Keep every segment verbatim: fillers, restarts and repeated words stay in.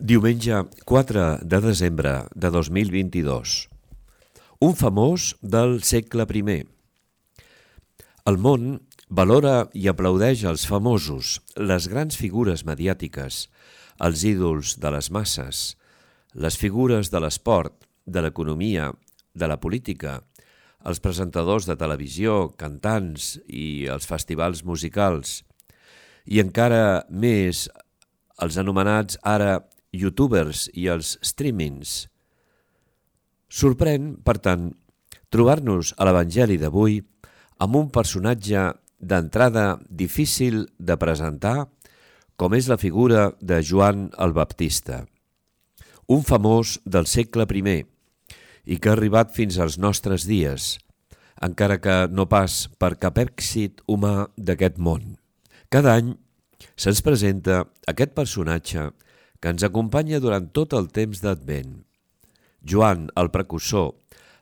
Diumenge quatre de desembre de dos mil vint-i-dos. Un famós del segle primer. El món valora i aplaudeix els famosos, les grans figures mediàtiques, els ídols de les masses, les figures de l'esport, de l'economia, de la política, els presentadors de televisió, cantants i els festivals musicals, i encara més els anomenats ara youtubers i els streamings. Sorprèn, per tant, trobar-nos a l'Evangeli d'avui amb un personatge d'entrada difícil de presentar, com és la figura de Joan el Baptista, un famós del segle primer i que ha arribat fins als nostres dies, encara que no pas per cap èxit humà d'aquest món. Cada any se'ns presenta aquest personatge que ens acompanya durant tot el temps d'Advent. Joan, el precursor,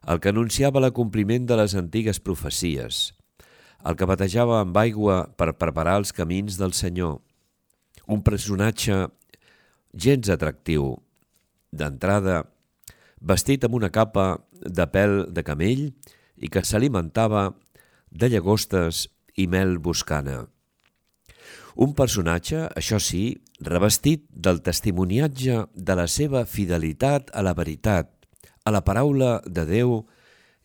el que anunciava l'acompliment de les antigues profecies, el que batejava amb aigua per preparar els camins del Senyor. Un personatge gens atractiu, d'entrada, vestit amb una capa de pèl de camell i que s'alimentava de llagostes i mel boscana. Un personatge, això sí, revestit del testimoniatge de la seva fidelitat a la veritat, a la paraula de Déu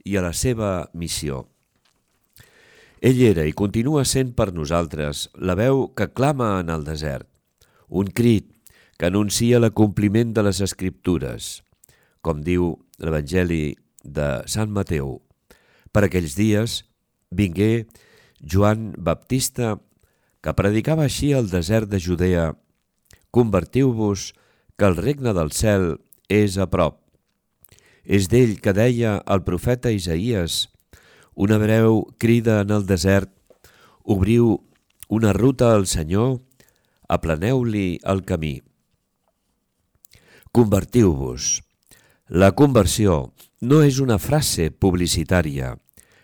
i a la seva missió. Ell era i continua sent per nosaltres la veu que clama en el desert, un crit que anuncia l'acompliment de les Escriptures, com diu l'Evangeli de Sant Mateu. Per aquells dies vingué Joan Baptista, que predicava així al desert de Judea: «Convertiu-vos, que el regne del cel és a prop». És d'ell que deia el profeta Isaïes: «Una breu crida en el desert, obriu una ruta al Senyor, aplaneu-li el camí». Convertiu-vos. La conversió no és una frase publicitària,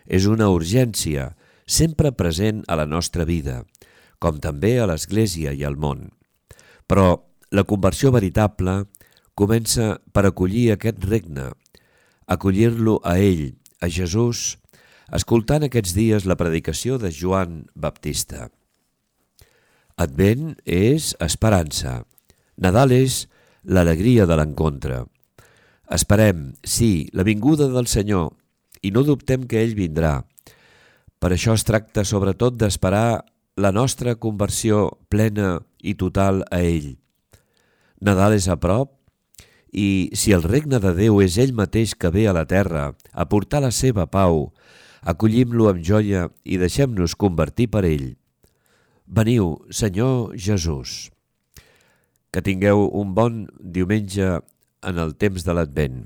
és una urgència sempre present a la nostra vida, com també a l'Església i al món. Però la conversió veritable comença per acollir aquest regne, acollir-lo a ell, a Jesús, escoltant aquests dies la predicació de Joan Baptista. Advent és esperança. Nadal és l'alegria de l'encontre. Esperem, sí, la vinguda del Senyor, i no dubtem que ell vindrà. Per això es tracta sobretot d'esperar la nostra conversió plena i total a ell. Nadal és a prop, i si el regne de Déu és ell mateix que ve a la terra a portar la seva pau, acollim-lo amb joia i deixem-nos convertir per ell. Veniu, Senyor Jesús. Que tingueu un bon diumenge en el temps de l'Advent.